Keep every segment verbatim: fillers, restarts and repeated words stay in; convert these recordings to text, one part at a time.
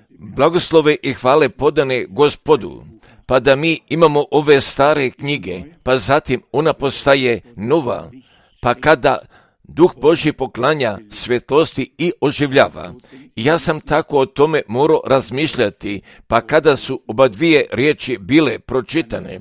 Blagoslove i hvale podane Gospodu, pa da mi imamo ove stare knjige, pa zatim ona postaje nova, pa kada Duh Božji poklanja svjetlosti i oživljava. Ja sam tako o tome morao razmišljati, pa kada su oba dvije riječi bile pročitane,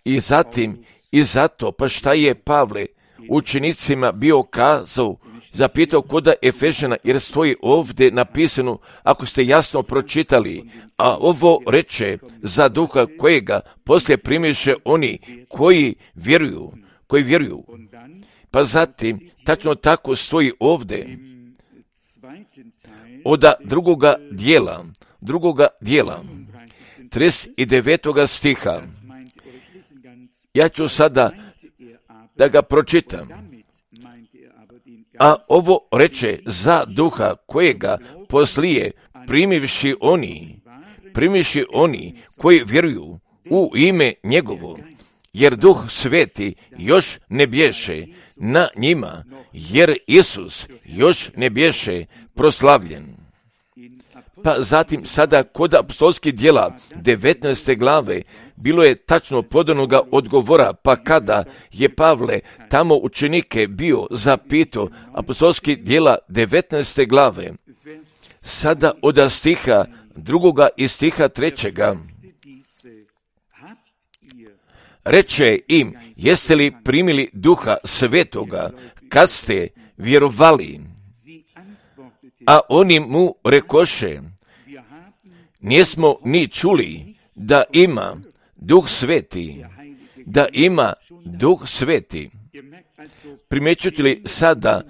i zatim i zato, pa šta je Pavle učenicima bio kazao, zapitao koda Efežana, jer stoji ovdje napisano, ako ste jasno pročitali, a ovo reče za duha kojega poslije primiše oni koji vjeruju, koji vjeruju. Pa zatim, tačno tako stoji ovdje, od drugoga dijela, drugoga dijela, trideset devetoga stiha. Ja ću sada da ga pročitam. A ovo reče za duha kojega poslije primivši oni, primivši oni koji vjeruju u ime njegovo, jer Duh Sveti još ne bješe na njima, jer Isus još ne bješe proslavljen. Pa zatim sada kod apostolskih djela devetnaeste glave bilo je tačno podanoga odgovora, pa kada je Pavle tamo učenike bio zapitao, apostolskih djela devetnaeste glave, sada od stiha drugoga i stiha trećega, reče im, jeste li primili Duha Svetoga kad ste vjerovali? A oni mu rekoše, nismo ni čuli da ima Duh Sveti, da ima Duh Sveti. Primjećujete li sada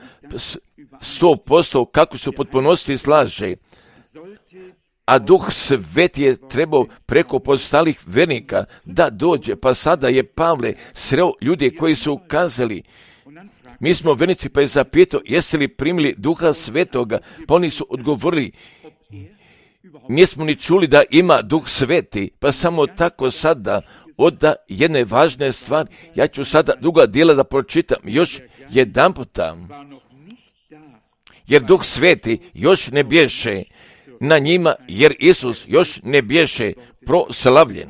sto posto kako su potpunosti slaže, a Duh Sveti je trebao preko postalih vernika da dođe, pa sada je Pavle sreo ljudi koji su kazali, mi smo vernici, pa je zapitao, jeste li primili Duha Svetoga, pa oni su odgovorili, nismo ni čuli da ima Duh Sveti, pa samo tako sada od jedne važne stvari, ja ću sada druga dijela da pročitam još jedan puta, jer Duh Sveti još ne bješe na njima, jer Isus još ne bješe proslavljen.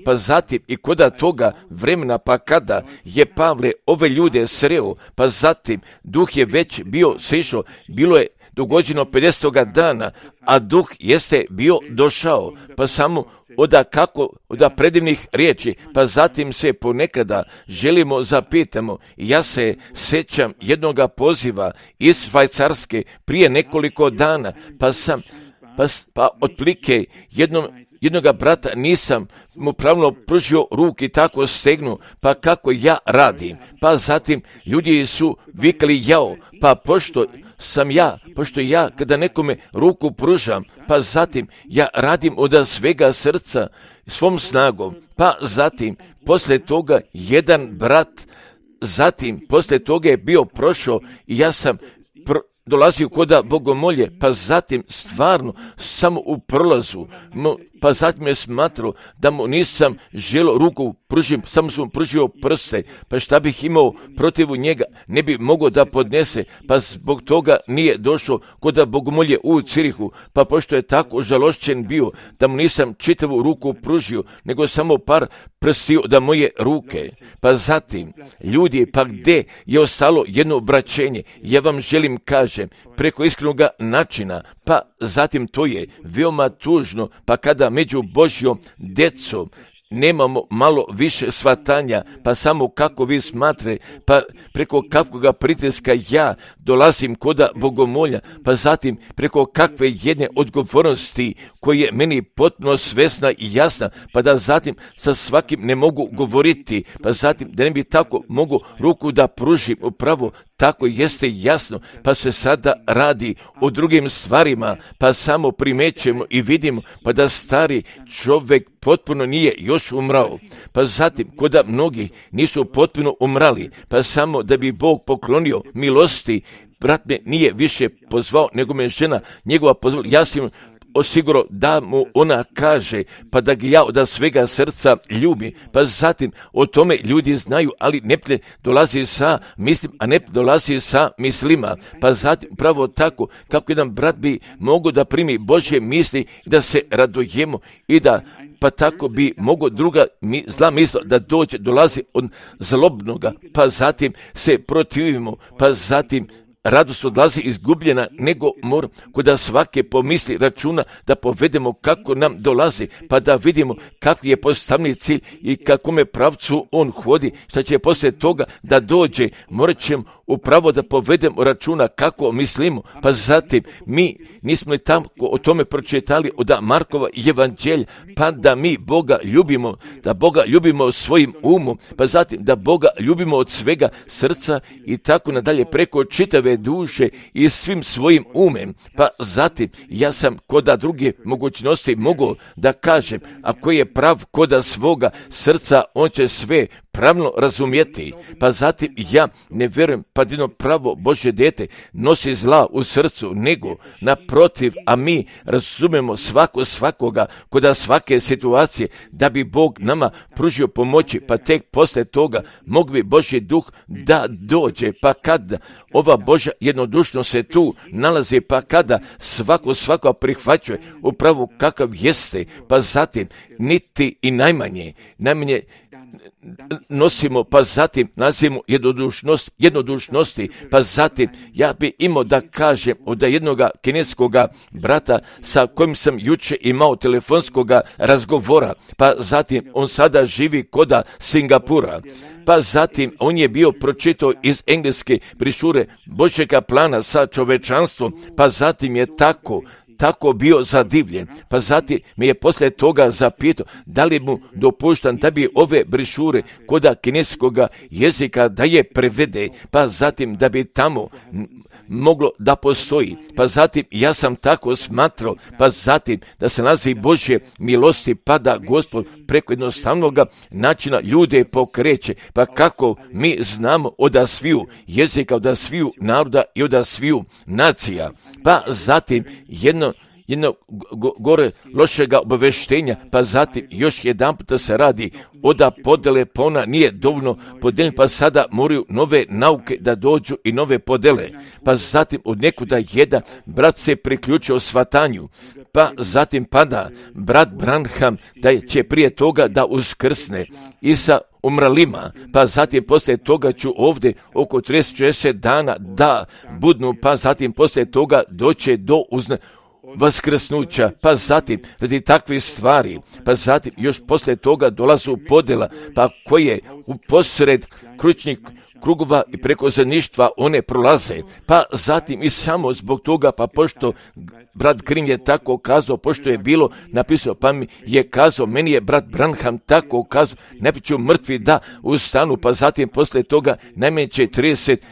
Pa zatim i koda toga vremena, pa kada je Pavle ove ljude sreo, pa zatim Duh je već bio sišao, bilo je dogođeno pedesetoga dana, a Duh jeste bio došao, pa samo oda kako, oda predivnih riječi, pa zatim se ponekada želimo zapitamo, ja se sjećam jednoga poziva iz Švajcarske prije nekoliko dana, pa sam, pa, pa otplike jednom jednoga brata nisam mu pravilno pružio ruku i tako stegnu, pa kako ja radim. Pa zatim ljudi su vikali jao, pa pošto sam ja, pošto ja kada nekome ruku pružam, pa zatim ja radim od svega srca, svom snagom, pa zatim poslije toga jedan brat, zatim poslije toga je bio prošao i ja sam pro, dolazio koda bogomolje, pa zatim stvarno samo u prolazu, pa zatim je smatrao da mu nisam želio ruku pružim, samo sam pružio prste, pa šta bih imao protiv njega, ne bi mogao da podnese, pa zbog toga nije došao koda bogomolje u Cirihu, pa pošto je tako žalošćen bio, da mu nisam čitavu ruku pružio, nego samo par prstio da moje ruke, pa zatim ljudi, pa gdje je ostalo jedno obraćenje, ja vam želim kažem, preko iskrenog načina, pa zatim to je veoma tužno, pa kada među Božjom djecom nemamo malo više shvatanja, pa samo kako vi smatre, pa preko kakvoga pritiska ja dolazim koda bogomolja, pa zatim preko kakve jedne odgovornosti koje je meni potpuno svesna i jasna, pa da zatim sa svakim ne mogu govoriti, pa zatim da ne bi tako mogu ruku da pružim upravo, tako jeste jasno, pa se sada radi o drugim stvarima, pa samo primećemo i vidimo, pa da stari čovjek potpuno nije još umrao, pa zatim koda mnogi nisu potpuno umrali, pa samo da bi Bog poklonio milosti, brat me nije više pozvao, nego me žena njegova pozvala, ja sam osigurao da mu ona kaže, pa da ga ja od svega srca ljubi. Pa zatim o tome ljudi znaju, ali neprijatelj dolazi sa mislim, a ne dolazi sa mislima. Pa zatim pravo tako kako jedan brat bi mogao da primi Božje misli i da se radujemo i da pa tako bi mogo druga mi, zla misla da dođe, dolazi od zlobnoga, pa zatim se protivimo, pa zatim radost odlazi izgubljena, nego mora kod da svake pomisli računa da povedemo kako nam dolazi, pa da vidimo kakvi je postavni cilj i kakome pravcu on hodi, šta će poslije toga da dođe, morat ćemo upravo da povedemo računa kako mislimo, pa zatim mi nismo li tamo o tome pročitali od Markova evanđelja, pa da mi Boga ljubimo, da Boga ljubimo svojim umom, pa zatim da Boga ljubimo od svega srca i tako nadalje preko čitave duše i svim svojim umem. Pa zatim ja sam koda druge mogućnosti mogu da kažem, ako je prav koda svoga srca, on će sve pravno razumjeti. Pa zatim ja ne vjerujem pa jedno pravo Božje dete nosi zla u srcu, nego naprotiv, a mi razumemo svako svakoga koda svake situacije da bi Bog nama pružio pomoći, pa tek posle toga mogu bi Božji duh da dođe, pa kada ova Božja jednodušnost se tu nalazi, pa kada svako svako prihvaćuje upravo kakav jeste, pa zatim niti i najmanje, najmanje nosimo, pa zatim nazivamo jednodušnost, jednodušnosti, pa zatim ja bi imao da kažem od jednoga kineskoga brata sa kojim sam juče imao telefonskoga razgovora, pa zatim on sada živi koda Singapura, pa zatim on je bio pročitao iz engleske brišure Božjega plana sa čovečanstvom, pa zatim je tako tako bio zadivljen, pa zatim me je poslije toga zapitao da li mu dopuštam da bi ove brišure koda kineskoga jezika da je prevede, pa zatim da bi tamo moglo da postoji, pa zatim ja sam tako smatrao, pa zatim da se nalazi Božje milosti, pa da Gospod preko jednostavnog načina ljude pokreće, pa kako mi znamo od sviju jezika, od sviju naroda i od sviju nacija, pa zatim jedno jedno gore lošega obaveštenja, pa zatim još jedan puta se radi oda podele, pa ona nije dovoljno podeljena, pa sada moraju nove nauke da dođu i nove podele, pa zatim od nekuda jedan brat se priključio svatanju, pa zatim pada brat Branham da će prije toga da uskrsne i sa umralima, pa zatim poslije toga ću ovdje oko trideset šezdeset dana da budnu, pa zatim poslije toga doće do uzna vaskrsnuća, pa zatim radi takvih stvari, pa zatim još poslije toga dolazu podjela, pa koje u posred kručnih krugova i preko zajedništva one prolaze, pa zatim i samo zbog toga, pa pošto brat Grim je tako kazao, pošto je bilo napisao, pa mi je kazao, meni je brat Branham tako kazao, ne biću mrtvi da ustanu, pa zatim poslije toga najmanje će trideset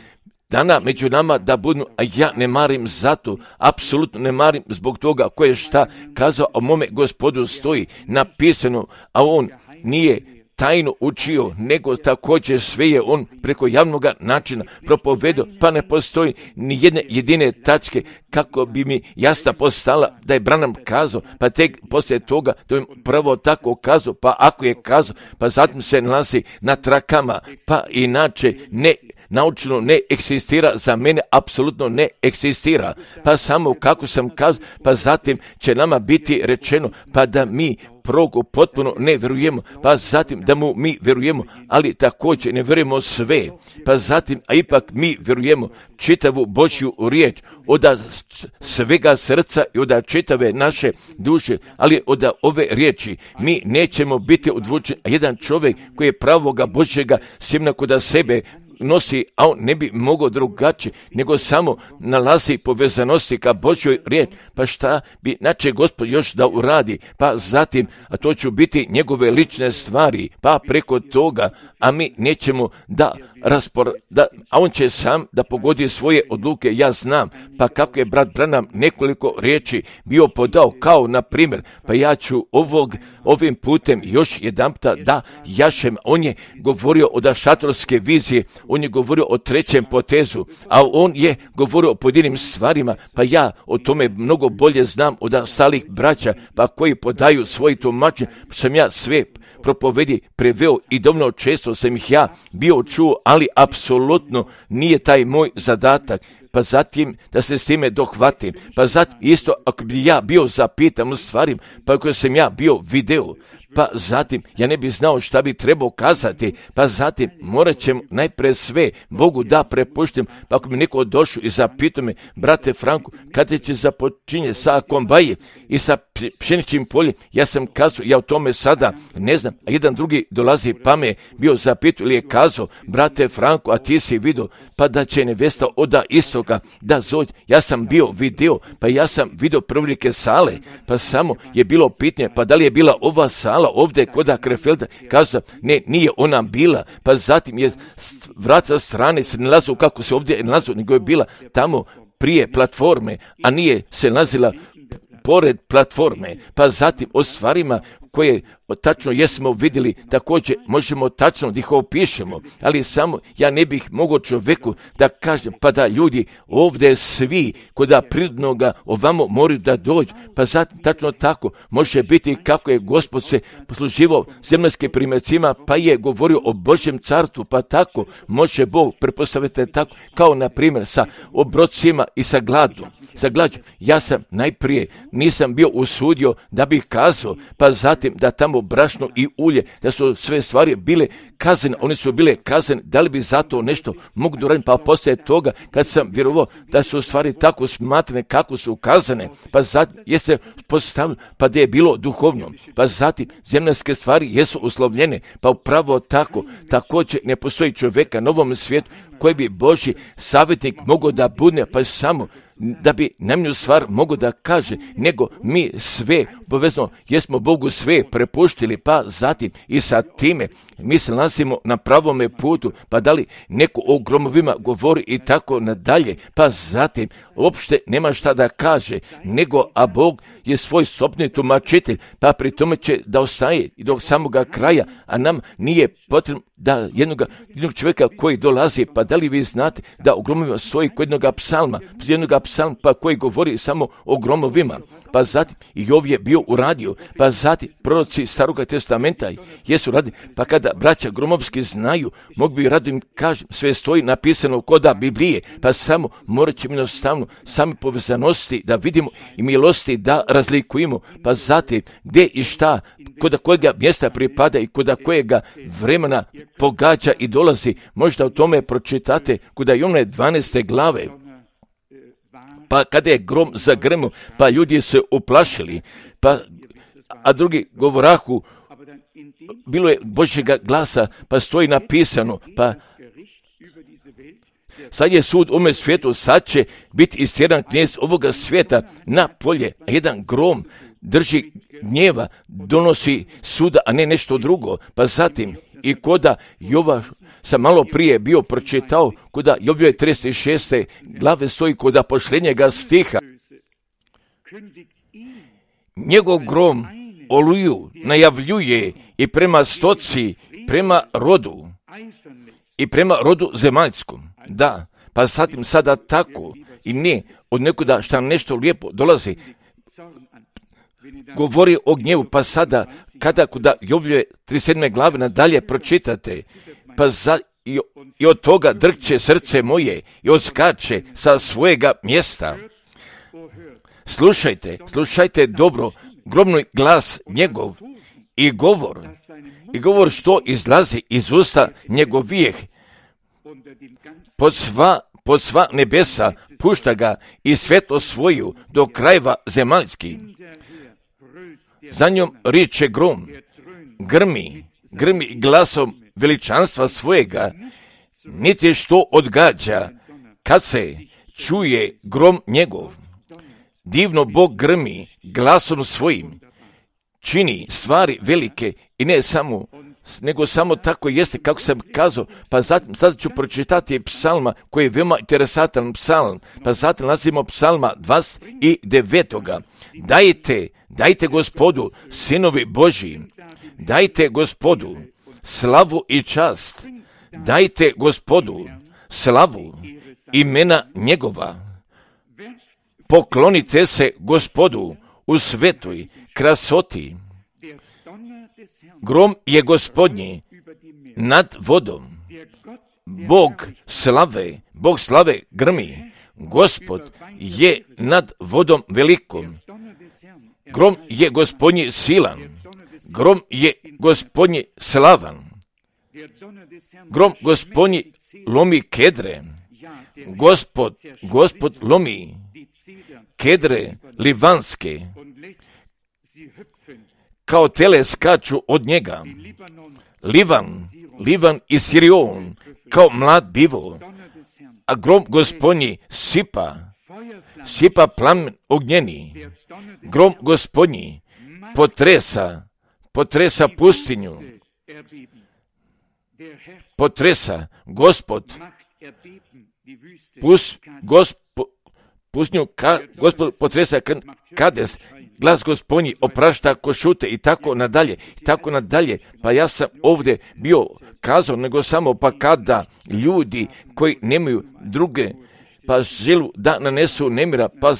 dana među nama da budu, a ja ne marim zato, apsolutno ne marim zbog toga ko je šta kazao, a o mome Gospodu stoji napisano, a on nije tajno učio, nego također sve je on preko javnog načina propovedao, pa ne postoji ni jedne jedine tačke kako bi mi jasna postala da je Branham kazao, pa tek poslije toga da im prvo tako kazao, pa ako je kazao, pa zatim se nalazi na trakama, pa inače ne naučno ne eksistira, za mene apsolutno ne eksistira, pa samo kako sam kazao, pa zatim će nama biti rečeno, pa da mi progu potpuno ne vjerujemo, pa zatim da mu mi vjerujemo, ali također ne vjerujemo sve, pa zatim, a ipak mi vjerujemo čitavu Božju riječ, od svega srca i od čitave naše duše, ali od ove riječi mi nećemo biti odvučeni, a jedan čovjek koji je pravoga Božjega sjemena kod sebe nosi, a on ne bi mogao drugačije, nego samo nalazi povezanosti ka Božjoj riječ, pa šta bi nače Gospod još da uradi, pa zatim, a to će biti njegove lične stvari, pa preko toga, a mi nećemo da raspor, da, a on će sam da pogodi svoje odluke, ja znam. Pa kako je brat Branham nekoliko riječi bio podao, kao na primjer, pa ja ću ovog, ovim putem još jedanputa da jašem. On je govorio o šatorske vizije, on je govorio o trećem potezu, a on je govorio o pojedinim stvarima, pa ja o tome mnogo bolje znam od ostalih braća, pa koji podaju svoje tumačenje, sam ja sve propovedi preveo i dovoljno često sam ih ja bio čuo, ali apsolutno nije taj moj zadatak. Pa zatim da se s time dohvatim, pa zatim isto ako bi ja bio zapitan u stvarima, pa ako sam ja bio video, pa zatim ja ne bi znao šta bi trebao kazati, pa zatim morat ćem najpre sve Bogu da prepuštim, pa ako bi neko došao i zapitao me, brate Franku, kada će započinje sa kombaje i sa pšeničnim poljem, ja sam kazao, ja o tome sada ne znam, a jedan drugi dolazi pa me bio zapitao ili je kazao, brate Franku, a ti si vidio, pa da će nevesta oda istoga da zođe, ja sam bio video, pa ja sam vidio prvnike sale, pa samo je bilo pitanje, pa da li je bila ova sala ovdje kod Krefelda, kazao, ne, nije ona bila, pa zatim je vrat sa strane se nalazio kako se ovdje nalazio, nego je bila tamo prije platforme, a nije se nalazila pored platforme, pa zatim o stvarima koje tačno jesmo vidjeli, također možemo tačno da ih opišemo, ali samo ja ne bih mogao čovjeku da kažem, pa da ljudi ovdje svi koda prirodnoga ovamo moraju da dođu, pa zatim tačno tako može biti kako je Gospod se posluživao zemaljskim primjercima, pa je govorio o Božjem carstvu, pa tako može Bog prepostaviti tako, kao na primjer sa obrocima i sa gladom. Sa glađom, ja sam najprije nisam bio usudio da bih kazao, pa zatim da tamo brašno i ulje, da su sve stvari bile kazane, one su bile kazane, da li bi zato nešto mogu doraditi, pa poslije toga kad sam vjerovao da su stvari tako smatrane kako su kazane, pa zatim jeste postavljeno, pa da je bilo duhovno, pa zatim zemaljske stvari jesu uslovljene, pa upravo tako, također ne postoji čovjeka na ovom svijetu koji bi Božji savjetnik mogao da bude, pa samo da bi najmanju stvar mogo da kaže, nego mi sve, povezno, jesmo Bogu sve prepuštili, pa zatim i sa time mi se nalazimo na pravome putu, pa da li neko o gromovima govori i tako nadalje, pa zatim uopšte nema šta da kaže, nego a Bog je svoj sopni tumačitelj, pa pri tome će da ostaje i do samoga kraja, a nam nije potrebno da jednog, jednog čovjeka koji dolazi, pa da li vi znate da u gromovima stoji kod jednog psalma, jednog psalma pa koji govori samo o gromovima, pa zatim i Jov je bio uradio, pa zatim proroci Staroga testamenta jesu radili, pa kada braća gromovski znaju, mogu bi rado im kažem, sve stoji napisano koda Biblije, pa samo morat ćemo jednostavno same povezanosti da vidimo i milosti da razlikujemo, pa zatim gdje i šta, koda kojega mjesta pripada i koda kojega vremena pogađa i dolazi, možda o tome pročitate koda i one dvanaeste glave. Pa kada je grom zagrmio, pa ljudi se uplašili, pa, a drugi govorahu, bilo je Božjega glasa, pa stoji napisano, pa sad je sud u ovome svijetu, sad će biti istjeran knjez ovoga svijeta na polje, a jedan grom drži gnjeva, donosi suda, a ne nešto drugo, pa zatim i koda Jova sam malo prije bio pročitao, koda Jovljove trideset šeste glave stoji koda posljednjega stiha. Njegov grom oluju najavljuje i prema stoci, prema rodu i prema rodu zemaljskom. Da, pa zatim sada tako i ne od nekuda šta nešto lijepo dolazi, govori o gnjevu, pa sada kada kuda Jovljove trideset sedme glave nadalje pročitate, pa za, i, i od toga drkće srce moje i odskače sa svojega mjesta. Slušajte, slušajte dobro, gromni glas njegov i govor, i govor što izlazi iz usta njegovijeh, pod sva, pod sva nebesa pušta ga i svetlo svoju do krajeva zemaljskih. Za njom riče grom, grmi, grmi glasom veličanstva svojega, niti što odgađa, kad se čuje grom njegov. Divno Bog grmi glasom svojim, čini stvari velike i ne samo, nego samo tako jeste kako sam kazao, pa zatim sada ću pročitati psalma koji je veoma interesantan psalm, pa zatim nalazimo psalma dvadeset devet. Dajte, dajte Gospodu, sinovi Božji, dajte Gospodu slavu i čast, dajte Gospodu slavu imena njegova, poklonite se Gospodu u svetoj krasoti. Grom je Gospodnji nad vodom, Bog slave, Bog slave grmi, Gospod je nad vodom velikom. Grom je Gospodnji silan, grom je Gospodnji slavan, grom Gospodnji lomi kedre, Gospod, Gospod lomi kedre livanske, kao tele skaču od njega. Livan, Livan i Sirion, kao mlad bivo, a grom Gospodnji sipa, sipa plamen ognjeni. Grom Gospodnji potresa, potresa pustinju, potresa Gospod, pus, gospo, pustinju, ka, Gospod potresa Kades, glas Gospodnji oprašta ko šute i tako nadalje, i tako nadalje. Pa ja sam ovdje bio kazao, nego samo pa kada ljudi koji nemaju druge, pa želu da nanesu nemira, pa,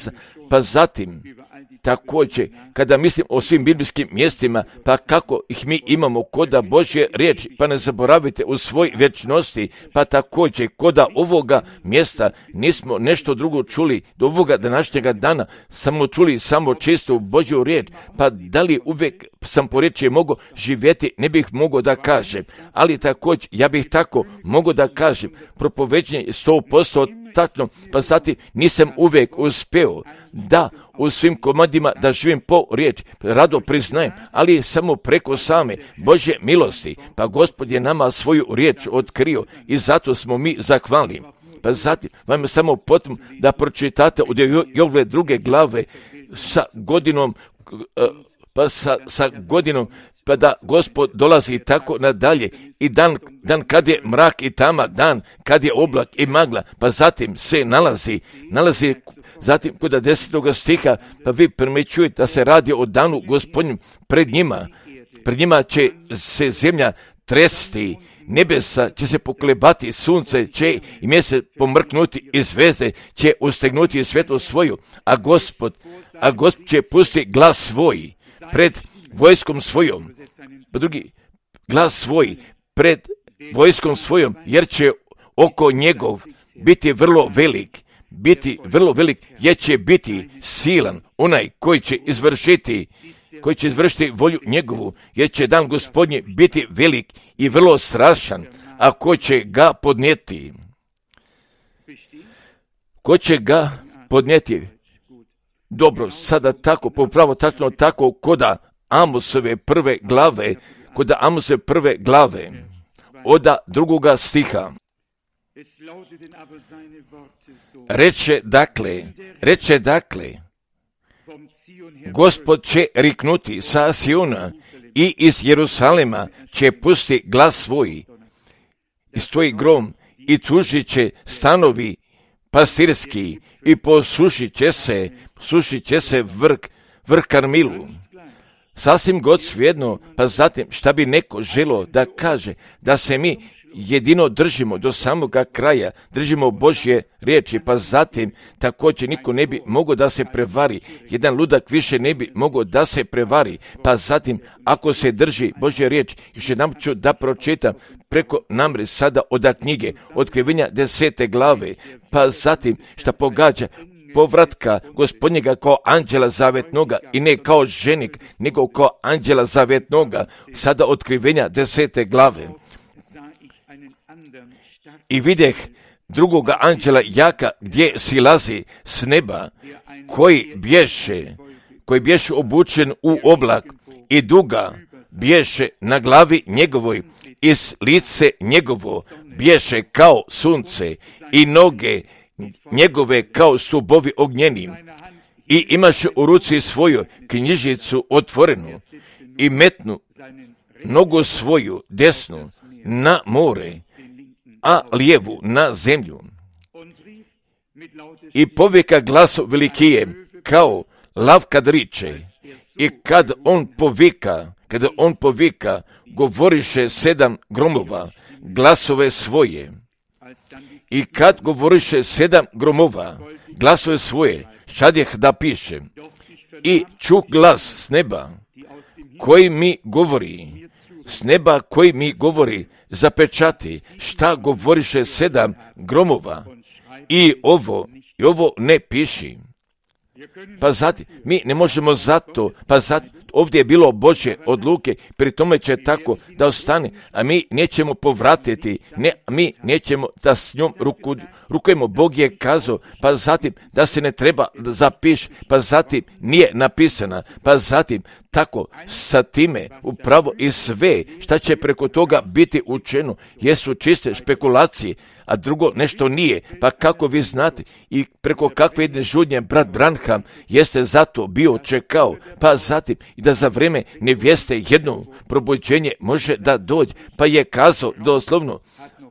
pa zatim također, kada mislim o svim biblijskim mjestima, pa kako ih mi imamo koda Božje riječi, pa ne zaboravite u svoj vječnosti, pa također koda ovoga mjesta nismo nešto drugo čuli do ovoga današnjega dana, samo čuli samo čistu Božju riječ, pa da li uvijek sam po riječi mogao živjeti, ne bih mogao da kažem, ali također ja bih tako mogao da kažem, propoveđenje je sto posto tačno, pa zatim nisam uvijek uspeo da u svim komadima da živim po riječi, rado priznajem, ali samo preko same Božje milosti, pa Gospod je nama svoju riječ otkrio i zato smo mi zahvalni. Pa zatim vam je samo potom da pročitate od ove druge glave sa godinom, pa sa, sa godinom, pa da Gospod dolazi tako nadalje i dan, dan kad je mrak i tama, dan kad je oblak i magla, pa zatim se nalazi, nalazi zatim kod desetog stiha, pa vi primećujete da se radi o danu Gospodnjem pred njima, pred njima će se zemlja tresti, nebesa će se poklebati, sunce će i mjesec pomrknuti i zvezde će ustegnuti svjetlo svoju, a Gospod, a Gospod će pustiti glas svoj pred vojskom svojom, pa drugi glas svoj pred vojskom svojom, jer će oko njegov biti vrlo velik, biti vrlo velik, jer će biti silan onaj koji će izvršiti, koji će izvršiti volju njegovu, jer će dan Gospodnji biti velik i vrlo strašan, a ko će ga podnijeti? Ko će ga podnijeti? Dobro, sada tako, popravo tačno tako, koda Amosove prve glave, koda Amosove prve glave, oda drugoga stiha. Reče dakle, reče dakle, Gospod će riknuti sa Siona i iz Jerusalema će pusti glas svoj, i stoji grom i tužit će stanovi pastirski i posušit će se, sušit će se vrh, vrh Karmilu. Sasvim god svejedno, pa zatim šta bi neko želo da kaže, da se mi jedino držimo do samoga kraja, držimo Božje riječi, pa zatim također niko ne bi mogao da se prevari, jedan ludak više ne bi mogao da se prevari, pa zatim ako se drži Božje riječ, još jednom ću da pročitam preko namre sada od knjige, Otkrivenja desete glave, pa zatim šta pogađa povratka Gospodnjega kao anđela zavetnoga i ne kao ženik, nego kao anđela zavetnoga, sada Otkrivenja desete glave. I vidjeh drugoga anđela jaka gdje silazi s neba, koji bješe, koji bješe obučen u oblak i duga bješe na glavi njegovoj i s lice njegovo bješe kao sunce i noge njegove kao stubovi ognjeni i imaše u ruci svoju knjižicu otvorenu i metnu nogu svoju desnu na more, a lijevu na zemlju. I povika glasom velikijem, kao lav kad riče, i kad on povika, kada on povika, govoriše sedam gromova, glasove svoje. I kad govoriše sedam gromova, glasove svoje, šadjeh da piše, i čuh glas s neba, koji mi govori, s neba koji mi govori, zapečati, šta govoriše sedam gromova, i ovo, i ovo ne piši. Pa zato, mi ne možemo zato, pa zato, ovdje je bilo Božje odluke, pri tome će tako da ostane, a mi nećemo povratiti, ne, mi nećemo da s njom ruku, rukujemo. Bog je kazao, pa zatim da se ne treba zapiš, pa zatim nije napisana, pa zatim tako sa time upravo i sve šta će preko toga biti učeno jesu čiste špekulacije, a drugo nešto nije. Pa kako vi znate i preko kakve jedne žudnje brat Branham jeste zato bio čekao, pa zatim i da za vrijeme nevjeste jedno probuđenje može da dođe, pa je kazao doslovno,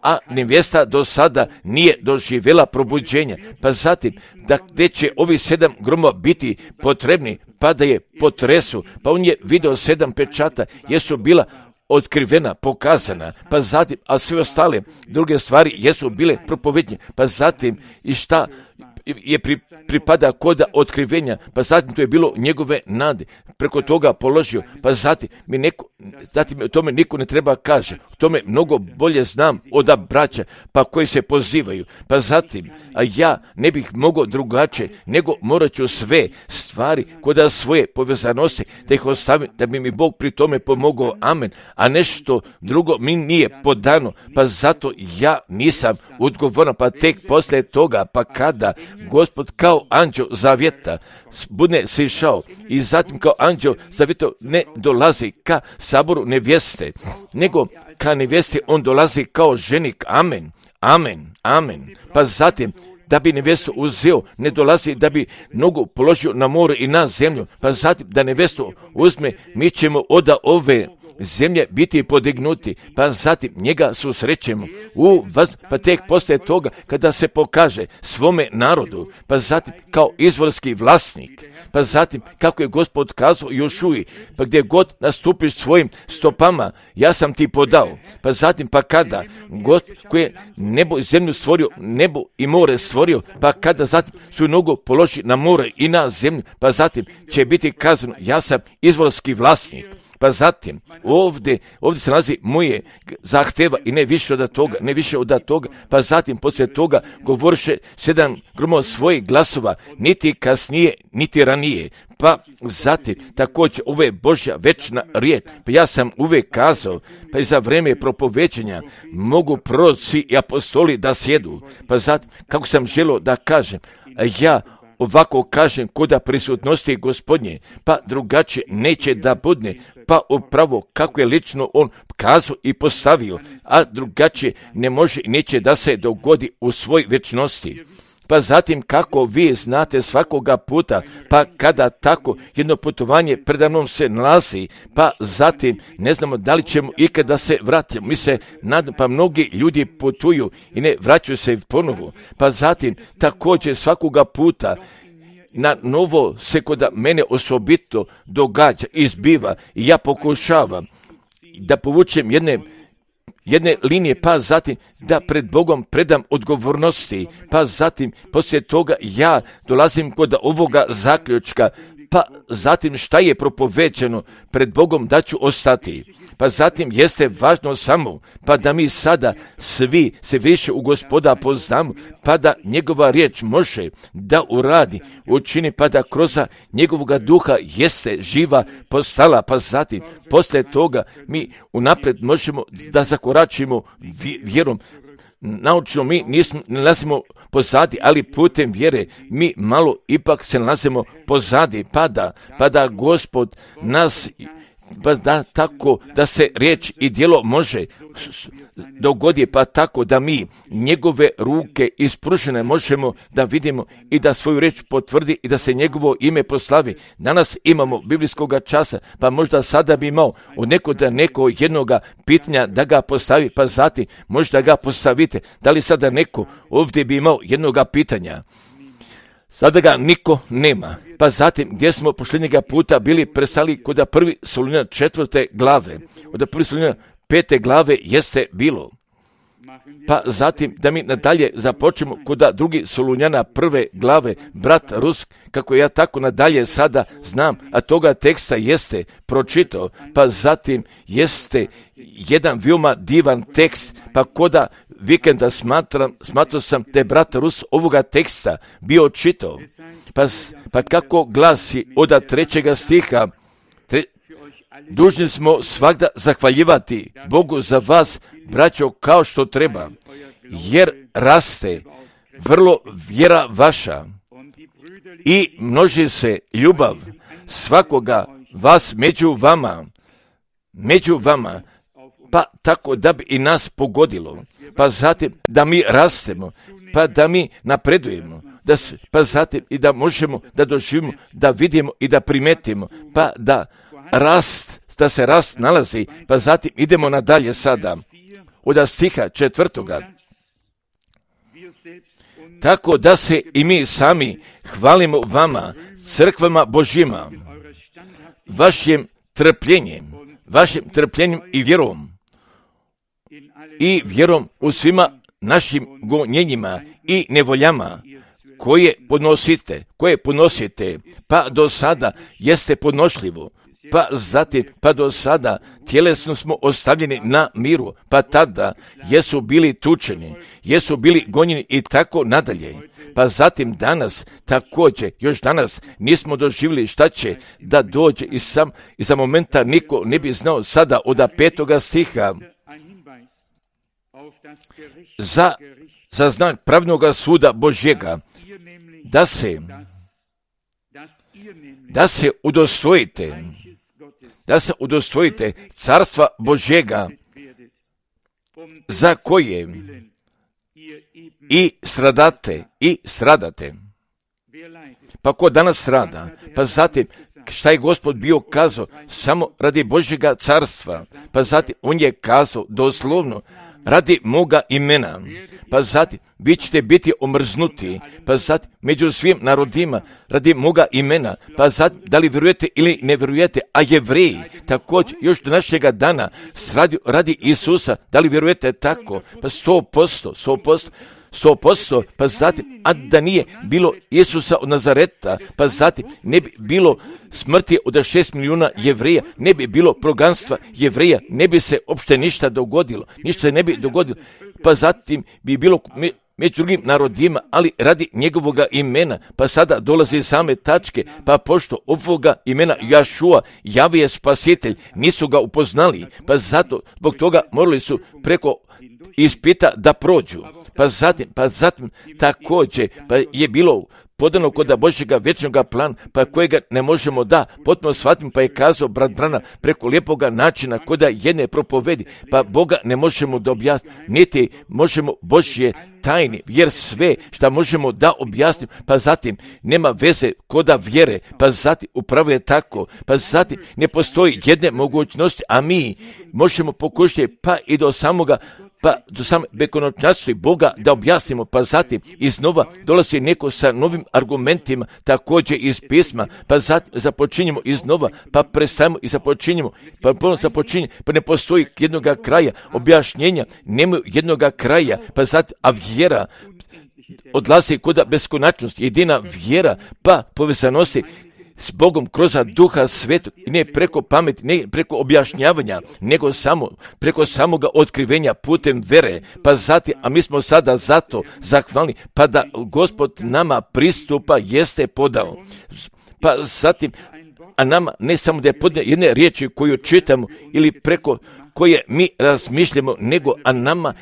a nevjesta do sada nije doživjela probuđenja, pa zatim da gdje će ovi sedam gromova biti potrebni, pa da je potresu, pa on je vidio sedam pečata, jesu bila otkrivena, pokazana, pa zatim, a sve ostale druge stvari jesu bile propovednje, pa zatim i šta je pri, pripada koda otkrivenja, pa zatim to je bilo njegove nade, preko toga položio, pa zatim mi neko, zatim o tome niko ne treba kaže, o tome mnogo bolje znam od braća, pa koji se pozivaju, pa zatim, a ja ne bih mogao drugačije, nego morat ću sve stvari koda svoje povezanosti, da ih ostavim, da bi mi Bog pri tome pomogao, amen, a nešto drugo mi nije podano, pa zato ja nisam odgovoran, pa tek poslije toga, pa kada Gospod kao anđeo zavjeta bude se išao i zatim kao anđeo zavjeta ne dolazi ka saboru nevjeste, nego ka nevjeste on dolazi kao ženik, amen, amen, amen, pa zatim da bi nevjestu uzeo, ne dolazi da bi nogu položio na more i na zemlju, pa zatim da nevjestu uzme, mi ćemo od ove zemlje biti podignuti, pa zatim njega susrećemo u vaz, pa tek poslije toga kada se pokaže svome narodu, pa zatim kao izvorski vlasnik, pa zatim kako je Gospod kazao Jošuji, pa gdje god nastupiš svojim stopama, ja sam ti podao, pa zatim pa kada Gospod koji je nebo i zemlju stvorio, nebo i more stvorio, pa kada zatim svoju nogu položi na more i na zemlju, pa zatim će biti kazano, ja sam izvorski vlasnik. Pa zatim, ovdje, ovdje se nalazi moje zahteva i ne više od toga, ne više od toga, pa zatim poslije toga govoriše sedam gromova svojih glasova, niti kasnije, niti ranije. Pa zatim, također, ovo je Božja večna riječ, pa ja sam uvijek kazao, pa i za vrijeme propovećenja mogu proroci i apostoli da sjedu, pa zatim, kako sam želio da kažem, ja ovako kažem koda prisutnosti Gospodnje, pa drugačije neće da budne, pa upravo kako je lično on kazao i postavio, a drugačije ne može i neće da se dogodi u svoj večnosti. Pa zatim kako vi znate svakoga puta, pa kada tako jedno putovanje predanom se nalazi, pa zatim ne znamo da li ćemo ikada se vratiti. Mi se nadamo, pa mnogi ljudi putuju i ne vraćaju se ponovo. Pa zatim također svakoga puta na novo se kod mene osobito događa, izbiva i ja pokušavam da povučem jedne jedne linije, pa zatim da pred Bogom predam odgovornosti, pa zatim poslije toga ja dolazim kod ovoga zaključka, pa zatim šta je propovećeno pred Bogom da ću ostati. Pa zatim jeste važno samo, pa da mi sada svi se više u Gospoda poznamo, pa da njegova riječ može da uradi, učini, pa da kroz njegovoga duha jeste živa postala, pa zatim poslije toga mi unaprijed možemo da zakoračimo vjerom. Naučno mi nismo, ne nalazimo pozadi, ali putem vjere mi malo ipak se nalazimo pozadi, pa da, pa da Gospod nas pa da tako da se riječ i djelo može dogodi, pa tako da mi njegove ruke ispružene možemo da vidimo i da svoju riječ potvrdi i da se njegovo ime proslavi. Danas imamo biblijskoga časa, pa možda sada bi imao od nekoga neko jednoga pitanja da ga postavi, pa zatim možda ga postavite. Da li sada neko ovdje bi imao jednoga pitanja? Sada ga niko nema. Pa zatim, gdje smo posljednjega puta bili prestali kod prvi Solunjana četvrte glave, od prvi Solunjana pete glave jeste bilo. Pa zatim, da mi nadalje započnemo kod drugi Solunjana prve glave, brat Rusk, kako ja tako nadalje sada znam, a toga teksta jeste pročitao, pa zatim jeste jedan veoma divan tekst, pa koda vikenda smatram, smatrao sam da je brat Rus ovoga teksta bio čitao. Pa, pa kako glasi od trećega stiha, tre, dužni smo svagda zahvaljivati Bogu za vas, braćo, kao što treba, jer raste vrlo vjera vaša i množi se ljubav svakoga vas među vama, među vama, pa tako da bi i nas pogodilo, pa zatim da mi rastemo, pa da mi napredujemo, da, pa zatim i da možemo da doživimo, da vidimo i da primetimo, pa da rast, da se rast nalazi, pa zatim idemo nadalje sada, od stiha četvrtoga. Tako da se i mi sami hvalimo vama, crkvama Božjima, vašim trpljenjem, vašim trpljenjem i vjerom, i vjerom u svima našim gonjenjima i nevoljama koje podnosite, koje podnosite, pa do sada jeste podnošljivo, pa zatim, pa do sada tjelesno smo ostavljeni na miru, pa tada jesu bili tučeni, jesu bili gonjeni i tako nadalje. Pa zatim danas, također, još danas nismo doživjeli šta će da dođe i sam, i za momenta niko ne bi znao sada od petoga stiha, za, za znak pravnoga suda Božjega, da se, da se udostojite, da se udostojite carstva Božjega, za koje i stradate, i stradate. Pa ko danas strada? Pa zatim, šta je Gospod bio kazao? Samo radi Božjega carstva. Pa zatim, on je kazao doslovno, radi moga imena, pa zatim vi ćete biti omrznuti, pa zatim među svim narodima radi moga imena, pa zatim da li vjerujete ili ne vjerujete, a Jevreji također još do našega dana radi, radi Isusa, da li vjerujete tako, pa sto posto, sto posto, sto posto, pa zatim, a da nije bilo Isusa od Nazareta, pa zatim ne bi bilo smrti od šest milijuna Jevreja, ne bi bilo proganstva Jevreja, ne bi se uopšte ništa dogodilo, ništa se ne bi dogodilo, pa zatim bi bilo među drugim narodima, ali radi njegovoga imena, pa sada dolazi same tačke, pa pošto ovoga imena Jašua, Jahve je spasitelj, nisu ga upoznali, pa zato, zbog toga morali su preko ispita da prođu, pa zatim, pa zatim također, pa je bilo podano kod Božjega vječnoga plana, pa kojega ne možemo da potpuno shvatimo, pa je kazao brat Brana preko lijepoga načina koda jedne propovedi, pa Boga ne možemo da objasniti, niti možemo Božje tajni, jer sve što možemo da objasnimo, pa zatim nema veze koda vjere, pa zatim upravo je tako, pa zatim ne postoji jedne mogućnosti, a mi možemo pokušati pa i do samoga pa do same bekonoćnosti Boga da objasnimo, pa zatim iznova dolazi neko sa novim argumentima, također iz pisma, pa zatim započinjemo iznova, pa prestajemo i započinjemo, pa ponovno započinjemo, pa ne postoji jednoga kraja, objašnjenja nemaju jednoga kraja, pa zatim, a vjera odlazi kod beskonačnosti, jedina vjera, pa povezanosti s Bogom kroz Duha Svetog, ne preko pameti, ne preko objašnjavanja, nego samo preko samoga otkrivenja putem vere, pa zatim, a mi smo sada zato zahvalni, pa da Gospod nama pristupa jeste podao, pa zatim, a nama ne samo da je podao jedne riječi koju čitamo ili preko koje mi razmišljamo, nego a nama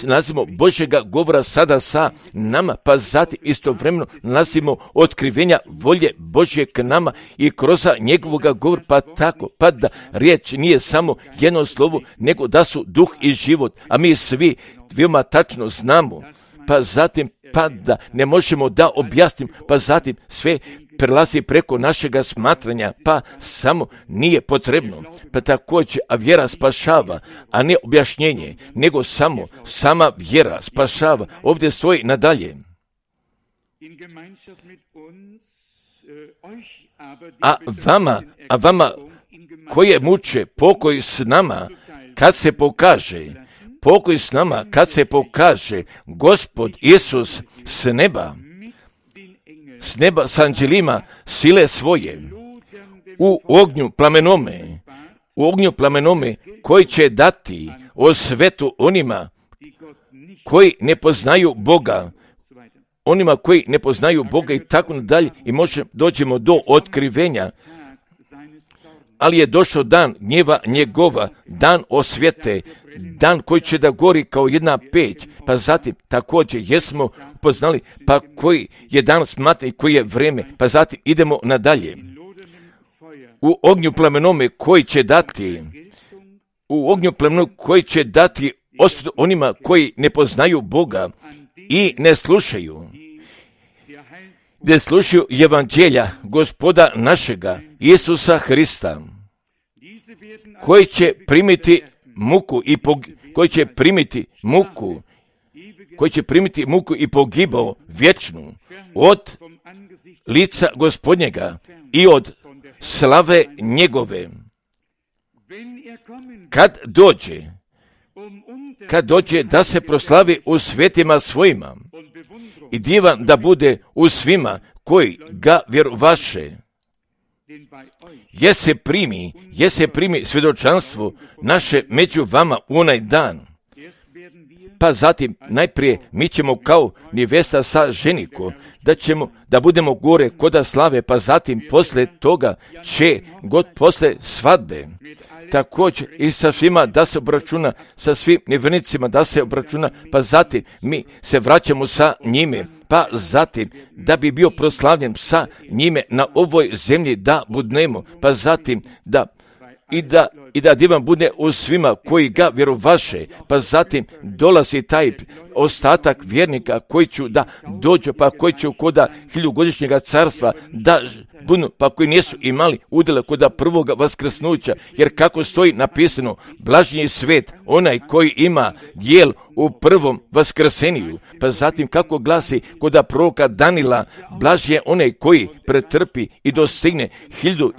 nalazimo Božjega govora sada sa nama, pa zatim istovremeno nalazimo otkrivenja volje Božje k nama i kroz njegovoga govora, pa tako, pa da riječ nije samo jedno slovo, nego da su duh i život, a mi svi veoma tačno znamo, pa zatim pa da ne možemo da objasnim, pa zatim sve prelazi preko našega smatranja, pa samo nije potrebno. Pa također, a vjera spašava, a ne objašnjenje, nego samo sama vjera spašava. Ovdje stoji nadalje. A vama, a vama koje muče pokoj s nama, kad se pokaže, pokoj s nama, kad se pokaže Gospod Isus s neba, s neba s anđelima sile svoje, u ognju plamenome, u ognju plamenome koji će dati o svetu onima koji ne poznaju Boga, onima koji ne poznaju Boga i tako nadalje, i možemo, dođemo do otkrivenja. Ali je došao dan gnjeva njegova, dan osvete, dan koji će da gori kao jedna peć, pa zatim također jesmo poznali, pa koji je dan smatra i koji je vreme, pa zatim idemo nadalje. U ognju plamenome koji će dati, u ognju plamenome koji će dati osudu onima koji ne poznaju Boga i ne slušaju, ne slušaju evanđelja Gospoda našega, Isusa Hrista, koji će primiti muku i pog... koji će primiti muku, koji će primiti muku i pogibao vječnu od lica Gospodnjega i od slave njegove. Kad dođe, kad dođe da se proslavi u svetima svojima i divan da bude u svima koji ga vjerovaše, je se primi, je se primi svjedočanstvo naše među vama u onaj dan. Pa zatim najprije mi ćemo kao nevesta sa ženiko, da ćemo, da budemo gore koda slave, pa zatim posle toga će god posle svadbe također i sa svima da se obračuna, sa svim nevjernicima da se obračuna, pa zatim mi se vraćamo sa njime, pa zatim da bi bio proslavljen sa njime na ovoj zemlji da budnemo, pa zatim da i da, i da divan bude u svima koji ga vjerovaše, pa zatim dolazi taj ostatak vjernika koji će da dođu, pa koji će koda hiljugodišnjega carstva da budu, pa koji nisu imali udjela koda prvoga vaskrsnuća, jer kako stoji napisano, blažnji je svet onaj koji ima dijel u prvom vaskrseniju, pa zatim kako glasi koda proroka Danila, blažnji je onaj koji pretrpi i dostigne hiljadu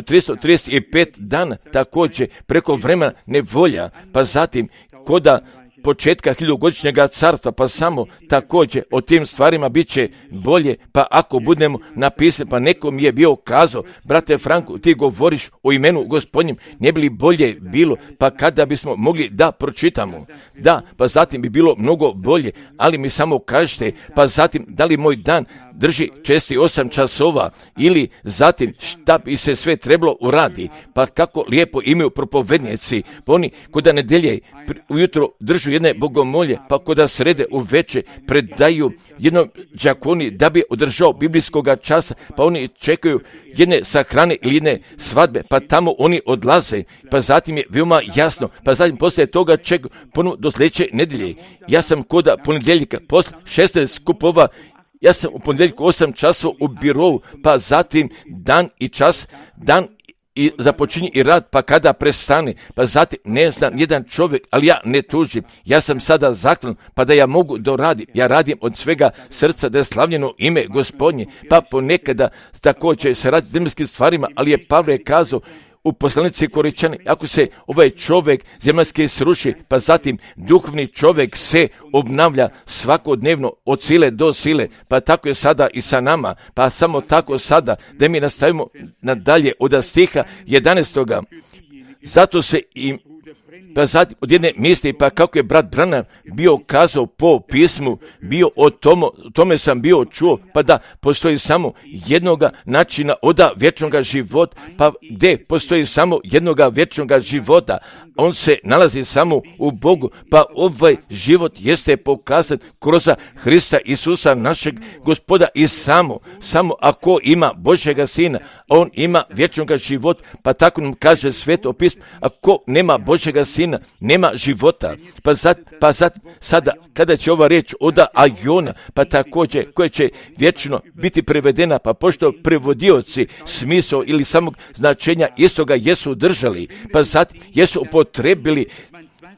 tristo trideset pet dana, također preko vremena nevolja, pa zatim koda početka hiljugodišnjega carstva, pa samo također o tim stvarima bit će bolje, pa ako budemo napisani, pa neko mi je bio kazao, brate Franku, ti govoriš o imenu Gospodnjem, ne bi li bolje bilo, pa kada bismo mogli da pročitamo, da, pa zatim bi bilo mnogo bolje, ali mi samo kažete, pa zatim da li moj dan drži česti osam časova, ili zatim šta bi se sve trebalo uradi, pa kako lijepo imaju propovednici, pa oni koda nedelje ujutro držu jedne bogomolje, pa koda srede u veče predaju jednom đakoni da bi održao biblijskoga časa, pa oni čekaju jedne sahrane ili jedne svadbe, pa tamo oni odlaze, pa zatim je veoma jasno, pa zatim poslije toga čekaju ponovno do sljedeće nedelje. Ja sam koda ponedjeljka, posle šesnaest skupova, ja sam u ponedjeljku osam časova u birovu, pa zatim dan i čas, dan i započinje i rad, pa kada prestane, pa zatim ne znam jedan čovjek, ali ja ne tužim, ja sam sada zaklan, pa da ja mogu doradim, ja radim od svega srca da je slavljeno ime Gospodnje, pa ponekada također se radi zemaljskim stvarima, ali je Pavle kazao u poslanici Koričani, ako se ovaj čovjek zemaljski sruši, pa zatim duhovni čovjek se obnavlja svakodnevno od sile do sile, pa tako je sada i sa nama, pa samo tako sada da mi nastavimo nadalje od stiha jedanaestoga. Zato se i pa zatim od jedne misli, pa kako je brat Branham bio kazao po pismu, bio o tomo, tome sam bio čuo, pa da postoji samo jednoga načina oda vječnoga života, pa gdje postoji samo jednoga vječnoga života, on se nalazi samo u Bogu, pa ovaj život jeste pokazan kroz Hrista Isusa našeg Gospoda i samo, samo ako ima Božjega Sina, on ima vječnoga života, pa tako nam kaže Sveto pismo, ako nema Božjega Sina, nema života. Pa sad, pa sad, sada, kada će ova riječ oda aiona, pa također, koja će vječno biti prevedena, pa pošto prevodioci smisao ili samog značenja istoga jesu držali, pa sad jesu upotrebili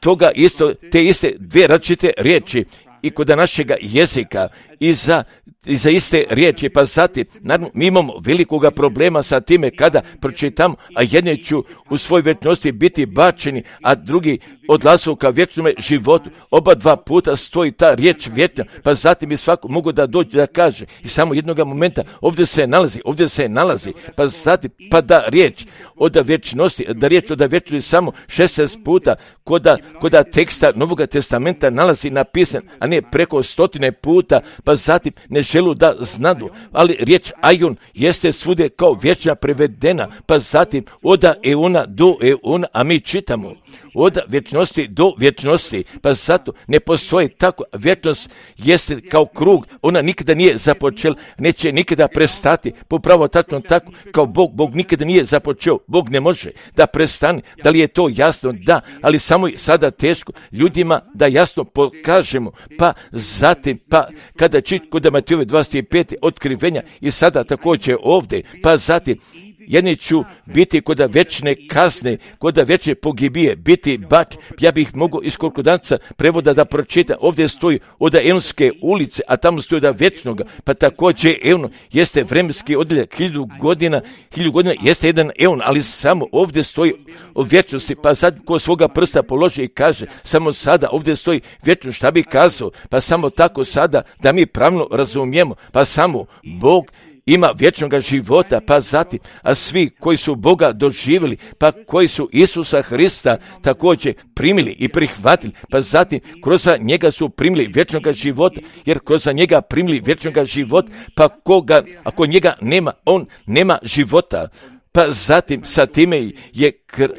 toga isto, te iste dvije različite riječi i kod našega jezika i za, i za iste riječi, pa zatim, naravno, mi imamo velikoga problema sa time kada pročitamo, a jedni ću u svoj vječnosti biti bačeni, a drugi odlazu ka vječnome životu. Oba dva puta stoji ta riječ vječna, pa zatim i svako mogu da dođe da kaže i samo jednoga momenta ovdje se nalazi, ovdje se nalazi, pa zatim, pa da riječ od vječnosti, da riječ od vječnosti samo šesnaest puta koda, koda teksta Novog testamenta nalazi napisan, a ne preko stotine puta, pa zatim ne želu da znadu, ali riječ aion jeste svugdje kao vječna prevedena, pa zatim od eona do eona, a mi čitamo od vječnosti do vječnosti, pa zato ne postoji tako. Vječnost jeste kao krug, ona nikada nije započela, neće nikada prestati, popravo tačno tako kao Bog, Bog nikada nije započeo, Bog ne može da prestane. Da li je to jasno? Da, ali samo je sada teško ljudima da jasno pokažemo, pa zatim, pa kada čit kod Matejove dvadeset pet otkrivenja i sada također ovdje, pa zatim jedni ću biti kod večne kazne, kod večne pogibije, biti bač. Ja bih mogao iz konkordanca prevoda da pročita. Ovdje stoji od Eonske ulice, a tamo stoji od vječnoga. Pa također Eon jeste vremenski odjeljak, hilju godina, hilju godina jeste jedan Eon, ali samo ovdje stoji o vječnosti. Pa sad ko svoga prsta položi i kaže, samo sada ovdje stoji vječno, šta bi kazao? Pa samo tako sada da mi pravno razumijemo, pa samo Bog ima vječnoga života, pa zatim, a svi koji su Boga doživjeli, pa koji su Isusa Hrista također primili i prihvatili, pa zatim kroz njega su primili vječnoga života, jer kroz njega primili vječnoga života, pa koga, ako njega nema, on nema života. Pa zatim sa time je, kr...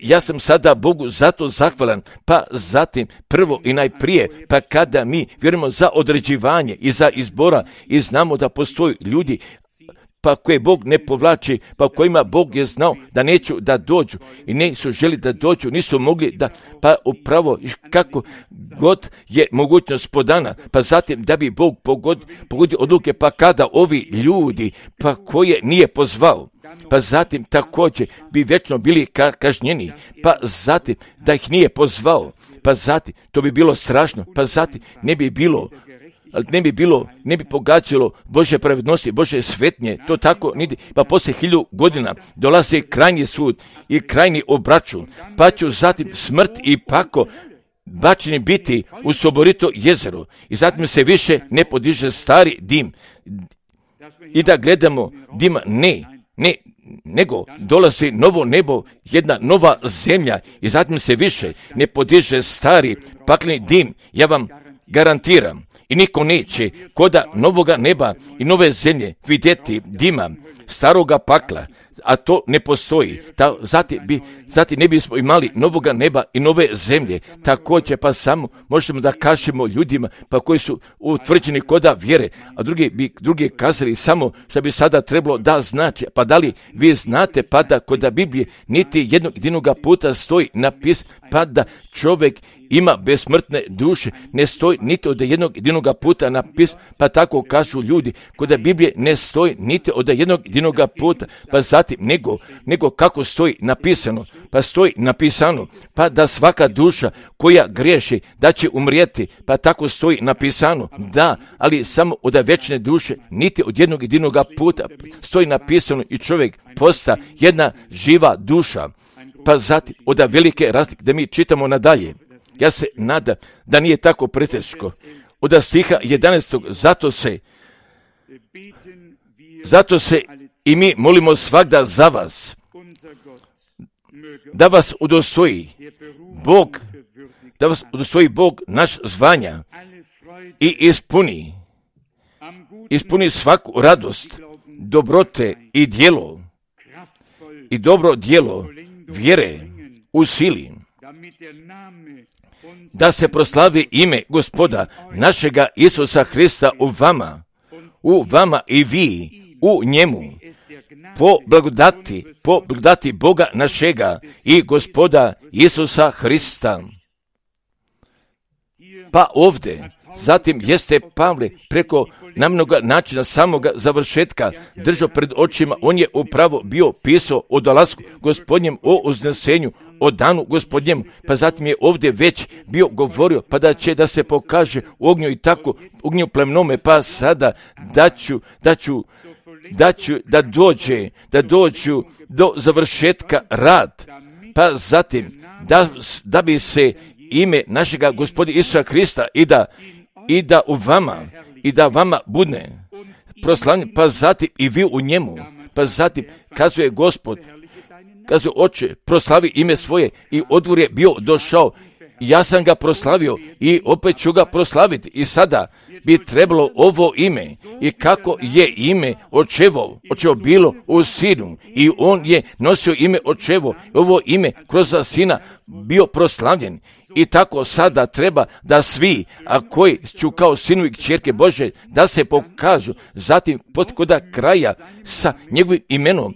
ja sam sada Bogu zato zahvalan, pa zatim prvo i najprije, pa kada mi vjerujemo za određivanje i za izbora i znamo da postoji ljudi pa koje Bog ne povlači, pa kojima Bog je znao da neću da dođu i nisu želi da dođu, nisu mogli da, pa upravo kako god je mogućnost podana, pa zatim da bi Bog pogod, pogodio odluke, pa kada ovi ljudi, pa koje nije pozvao, pa zatim također bi vječno bili ka- kažnjeni, pa zatim da ih nije pozvao, pa zatim to bi bilo strašno, pa zatim ne bi bilo ali ne bi bilo, ne bi pogađalo Božje pravednosti, Božje svetnje, to tako niti, pa poslije hilju godina dolazi krajnji sud i krajnji obračun, pa ću zatim smrt i pako bačeni biti u soborito jezero i zatim se više ne podiže stari dim i da gledamo dima, ne, ne, nego dolazi novo nebo, jedna nova zemlja i zatim se više ne podiže stari pakleni dim, ja vam garantiram. I niko neće koda novoga neba i nove zemlje vidjeti dima staroga pakla, a to ne postoji. Ta, zatim, bi, zatim ne bismo imali novoga neba i nove zemlje. Također pa samo možemo da kažemo ljudima pa koji su utvrđeni koda vjere, a drugi bi drugi kazali samo što bi sada trebalo da znači. Pa da li vi znate pa da koda Biblije niti jednog jedinoga puta stoji napis pa da čovjek ima besmrtne duše, ne stoji niti od jednog jedinoga puta napis, pa tako kažu ljudi, koda Biblije ne stoji niti od jednog jedinoga puta, pa zatim nego, nego kako stoji napisano, pa stoji napisano, pa da svaka duša koja griješi da će umrijeti, pa tako stoji napisano, da, ali samo od vječne duše, niti od jednog jedinoga puta stoji napisano i čovjek posta jedna živa duša, pa zatim od velike razlike da mi čitamo nadalje. Ja se nadam da nije tako preteško. Od stiha jedanaestog zato se, zato se i mi molimo svagda za vas, da vas udostoji Bog, da vas udostoji Bog naš zvanja i ispuni, ispuni svaku radost, dobrote i djelo, i dobro djelo vjere u sili, da se proslavi ime Gospoda našega Isusa Hrista u vama, u vama i vi u njemu, po blagodati, po blagodati Boga našega i Gospoda Isusa Hrista. Pa ovdje, zatim jeste Pavle preko na mnoga načina samoga završetka držao pred očima, on je upravo bio pisao o dolasku Gospodnjem, o uznesenju, o danu Gospodnjemu, pa zatim je ovdje već bio govorio, pa da će da se pokaže u ognju i tako, ognju plemnome, pa sada da ću, da ću, da ću, da dođe, da dođu do završetka rad, pa zatim da, da bi se ime našega Gospodina Isusa Hrista i da, i da u vama, i da vama budne proslavljen, pa zatim i vi u njemu, pa zatim kazuje Gospod, kazuje Oče, proslavi ime svoje i odvor je bio došao, ja sam ga proslavio i opet ću ga proslaviti i sada bi trebalo ovo ime i kako je ime očevo, očevo bilo u sinu i on je nosio ime očevo, ovo ime kroz sina bio proslavljen. I tako sada treba da svi, a koji su kao sinu i kćerke Bože, da se pokažu, zatim kod kraja sa njegovim imenom,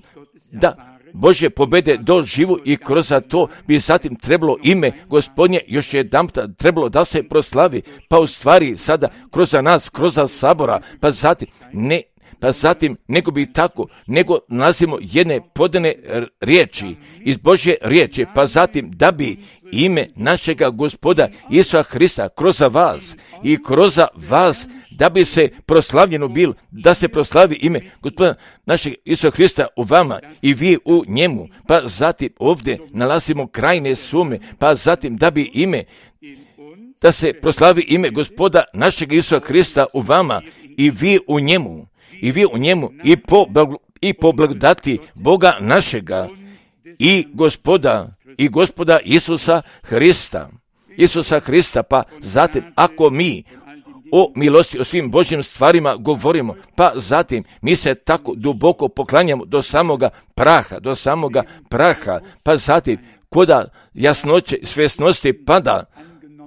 da Bože pobede do živu i kroz to bi zatim trebalo ime Gospodnje još jedan trebalo da se proslavi, pa u stvari sada kroz nas, kroz sabora, pa zatim ne, pa zatim nego bi tako, nego nalazimo jedne podane riječi iz Božje riječi, pa zatim da bi ime našega Gospoda Isusa Hrista kroz vas i kroz vas da bi se proslavljeno bilo, da se proslavi ime Gospoda našeg Isusa Hrista u vama i vi u njemu, pa zatim ovdje nalazimo krajne sume, pa zatim da bi ime, da se proslavi ime Gospoda našeg Isusa Hrista u vama i vi u njemu, i vi u njemu i po, i po blagodati Boga našega i Gospoda, i Gospoda Isusa Hrista, Isusa Hrista, pa zatim ako mi o milosti, o svim Božjim stvarima govorimo, pa zatim mi se tako duboko poklanjamo do samoga praha, do samoga praha, pa zatim koda jasnoće, svjesnosti pada,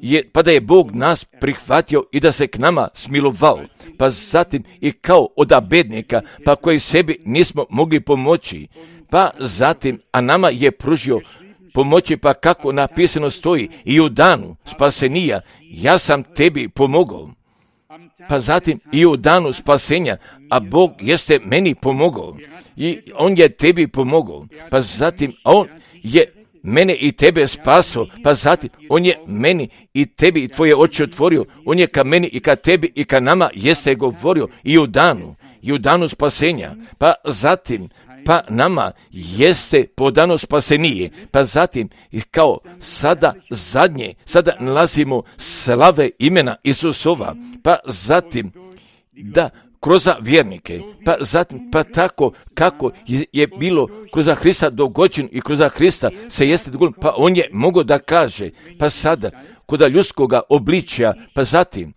je, pa da je Bog nas prihvatio i da se k nama smilovao, pa zatim i kao od bednika, pa koji sebi nismo mogli pomoći, pa zatim, a nama je pružio pomoći, pa kako napisano stoji, i u danu spasenija, ja sam tebi pomogao. Pa zatim i u danu spasenja, a Bog jeste meni pomogao i on je tebi pomogao, pa zatim on je mene i tebe spaso, pa zatim on je meni i tebi i tvoje oči otvorio, on je ka meni i ka tebi i ka nama jeste govorio i u danu, i u danu spasenja, pa zatim pa nama jeste podano spasenije, pa zatim kao sada zadnje, sada nalazimo slave imena Isusova, pa zatim da kroz vjernike, pa zatim pa tako kako je, je bilo kroz Hrista dogođeno i kroz Hrista se jeste dogođeno, pa on je mogao da kaže, pa sada kod ljudskoga obličja, pa zatim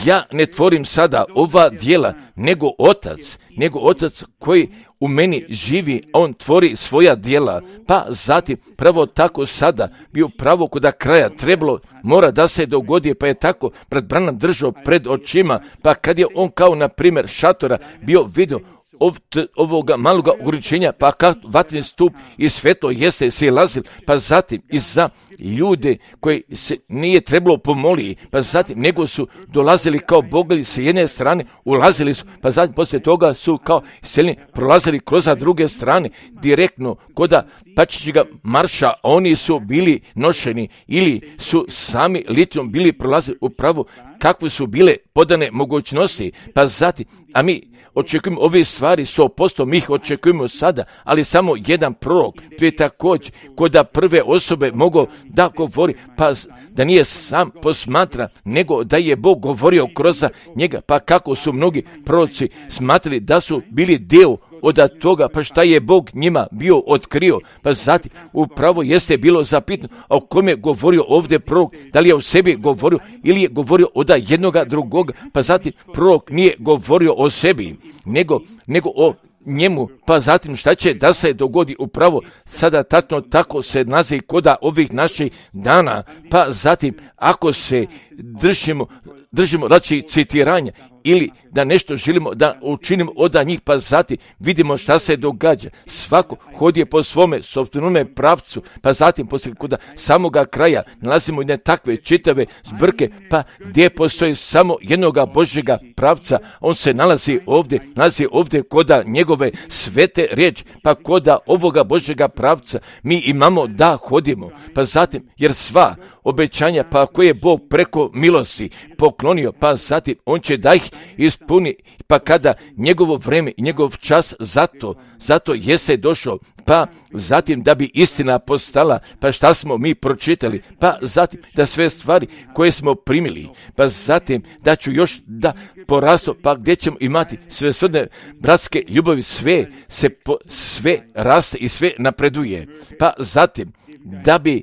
ja ne tvorim sada ova djela, nego Otac, nego Otac koji u meni živi, on tvori svoja djela, pa zatim pravo tako sada bio pravo kod kraja trebalo, mora da se dogodi, pa je tako brat Branham držao pred očima, pa kad je on kao na primjer šatora bio vidio ov, t, ovoga maloga ograničenja, pa kad vatreni stup i svetlo jeste silazil, pa zatim i za ljude koji se nije trebalo pomoli, pa zatim nego su dolazili kao bogovi s jedne strane, ulazili su, pa zatim poslije toga su kao selini prolazili kroz druge strane, direktno koda Pačićega marša, oni su bili nošeni ili su sami litijom bili prolazili upravo kakve su bile podane mogućnosti, pa zatim, a mi očekujemo ove stvari, sto posto mi ih očekujemo sada, ali samo jedan prorok, to je također koda prve osobe mogu da govori, pa da nije sam posmatra, nego da je Bog govorio kroz njega, pa kako su mnogi proroci smatrali da su bili dio od toga, pa šta je Bog njima bio otkrio, pa zatim upravo jeste bilo zapitno, a o kome je govorio ovdje prorok, da li je o sebi govorio ili je govorio od jednoga drugoga, pa zatim prorok nije govorio o sebi, nego, nego o njemu, pa zatim šta će da se dogodi upravo sada tatno tako se naziv koda ovih naših dana, pa zatim ako se držimo, držimo znači citiranja ili da nešto želimo da učinimo od njih, pa zatim vidimo šta se događa. Svako hodije po svome sopstvenome pravcu, pa zatim poslije kuda samoga kraja nalazimo jedne takve čitave zbrke, pa gdje postoji samo jednoga Božjega pravca, on se nalazi ovdje, nalazi ovdje koda njegove svete riječi, pa koda ovoga Božjega pravca mi imamo da hodimo, pa zatim jer sva obećanja pa koje je Bog preko milosti poklonio, pa zatim on će da ih ispuni, pa kada njegovo vreme i njegov čas zato, zato jeste došao, pa zatim da bi istina postala, pa šta smo mi pročitali, pa zatim da sve stvari koje smo primili, pa zatim da ću još da porasto, pa gdje ćemo imati sve srodne bratske ljubavi, sve se po, sve raste i sve napreduje, pa zatim da bi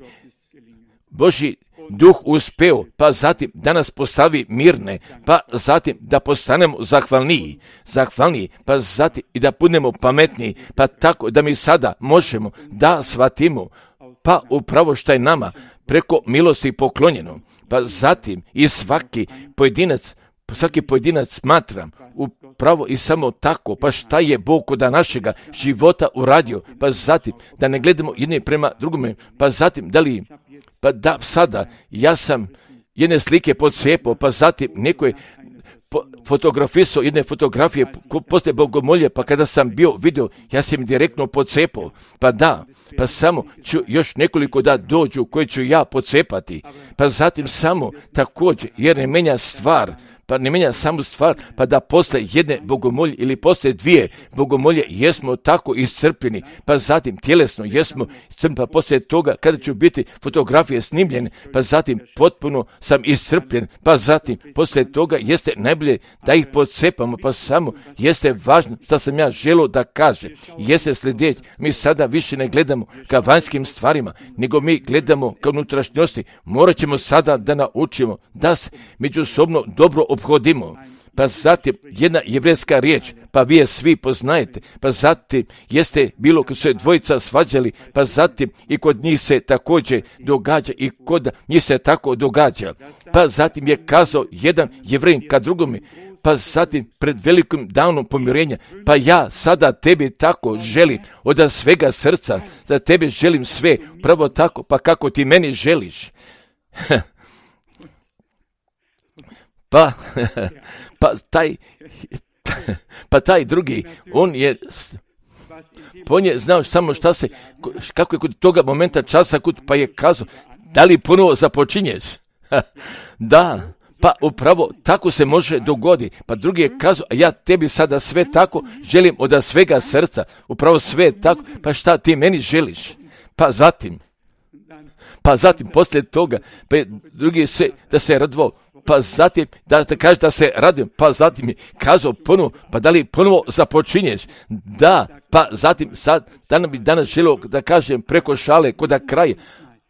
Božji Duh uspeo, pa zatim da nas postavi mirne, pa zatim da postanemo zahvalniji, zahvalniji, pa zatim i da budemo pametniji, pa tako da mi sada možemo da shvatimo, pa upravo što je nama preko milosti poklonjeno, pa zatim i svaki pojedinac, svaki pojedinac smatram upravo i samo tako, pa šta je Bog kod našega života uradio, pa zatim da ne gledamo jedne prema drugome, pa zatim da li pa da sada ja sam jedne slike podsjepao, pa zatim neko je po, fotografisao jedne fotografije poslije bogomolje, pa kada sam bio video, ja sam direktno podsjepao, pa da, pa samo ću još nekoliko da dođu koje ću ja podsjepati, pa zatim samo također, jer ne menja stvar, pa ne menja samu stvar, pa da posle jedne bogomolje ili posle dvije bogomolje jesmo tako iscrpljeni, pa zatim tjelesno jesmo iscrpljeni, pa poslije toga kada ću biti fotografije snimljene, pa zatim potpuno sam iscrpljen, pa zatim poslije toga jeste najbolje da ih podsepamo, pa samo jeste važno što sam ja želio da kaže, jeste sljedeći, mi sada više ne gledamo ka vanjskim stvarima, nego mi gledamo ka unutrašnjosti, morat ćemo sada da naučimo da se međusobno dobro obhodimo, pa zatim jedna jevrejska riječ, pa vi je svi poznajete, pa zatim jeste bilo kad su se dvojica svađali, pa zatim i kod njih se također događa i kod njih se tako događa, pa zatim je kazao jedan Jevrejin ka drugome, pa zatim pred velikim danom pomirenja, pa ja sada tebi tako želim od svega srca, da tebi želim sve, pravo tako, pa kako ti meni želiš. Pa, pa taj, pa taj drugi, on je, on je znao samo šta se, kako je kod toga momenta časa, pa je kazao, da li ponovo započinješ? Da, pa upravo tako se može dogoditi. Pa drugi je kazao, a ja tebi sada sve tako želim od svega srca, upravo sve tako, pa šta ti meni želiš? Pa zatim, pa zatim poslije toga, pa drugi se, da se radvao, pa zatim da te kaže da se radujem, pa zatim je kazao ponovo, pa da li ponovo započinješ? Da, pa zatim sad, danas bi danas želio da kažem preko šale kod kraja,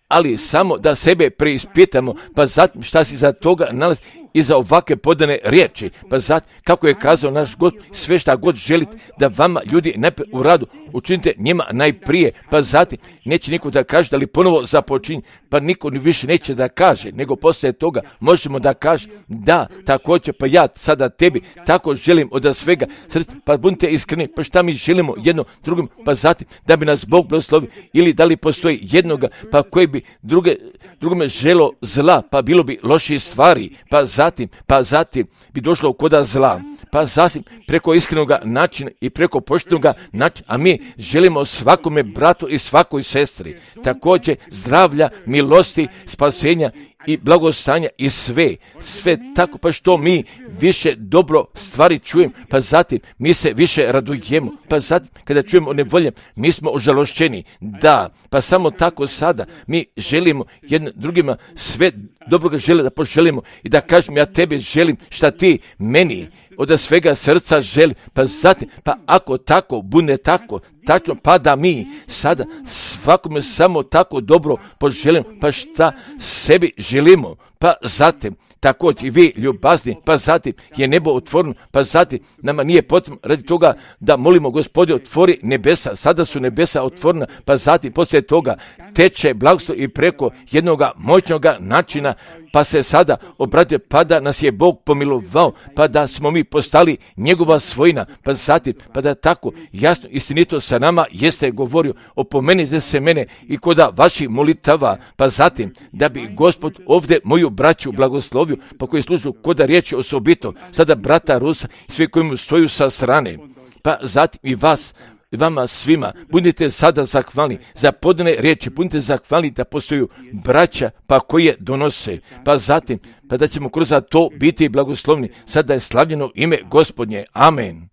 ali samo da sebe preispitamo, pa zatim šta si za toga nalazi i za ovakve podane riječi, pa zatim kako je kazao naš God, sve šta god želite da vama ljudi najprije u radu učinite njima najprije, pa zatim neće niko da kaže da li ponovo započinje, pa niko ni više neće da kaže, nego poslije toga možemo da kaže da, također, pa ja sada tebi tako želim od svega srca, pa budite iskreni, pa šta mi želimo jedno drugom, pa zatim da bi nas Bog blagoslovio, ili da li postoji jednoga, pa koji bi druge, drugome želo zla, pa bilo bi loših stvari, pa zatim, pa zatim bi došlo koda zla, pa zatim preko iskrenoga načina i preko poštenoga načina, a mi želimo svakome bratu i svakoj sestri također zdravlja, milosti, spasenja i blagostanja i sve, sve tako, pa što mi više dobro stvari čujem, pa zatim mi se više radujemo, pa zatim kada čujemo nevolje, mi smo ožalošćeni, da, pa samo tako sada mi želimo jednim drugima sve dobroga žele da poželimo i da kažem ja tebe želim šta ti meni od svega srca želi, pa zatim, pa ako tako bude tako, tačno, pa da mi sada svakome samo tako dobro poželimo, pa šta sebi želimo, pa zatim također i vi ljubazni, pa zatim je nebo otvoreno, pa zatim nama nije potrebno radi toga da molimo Gospodine otvori nebesa, sada su nebesa otvorena, pa zatim poslije toga teče blagoslo i preko jednoga moćnoga načina, pa se sada obratio, pa da nas je Bog pomilovao, pa da smo mi postali njegova svojina, pa zatim, pa da tako jasno istinito sa nama jeste govorio, opomenite se mene i koda vaših molitava, pa zatim da bi Gospod ovdje moju braću blagoslovio, pa koji služu koda riječi osobito, sada brata Rusa i svi koji mu stoju sa strane, pa zatim i vas, i vama svima, budite sada zahvalni za podane riječi, budite zahvalni da postoju braća, pa koji je donose, pa zatim, pa da ćemo kroz to biti blagoslovni, sada je slavljeno ime Gospodnje. Amen.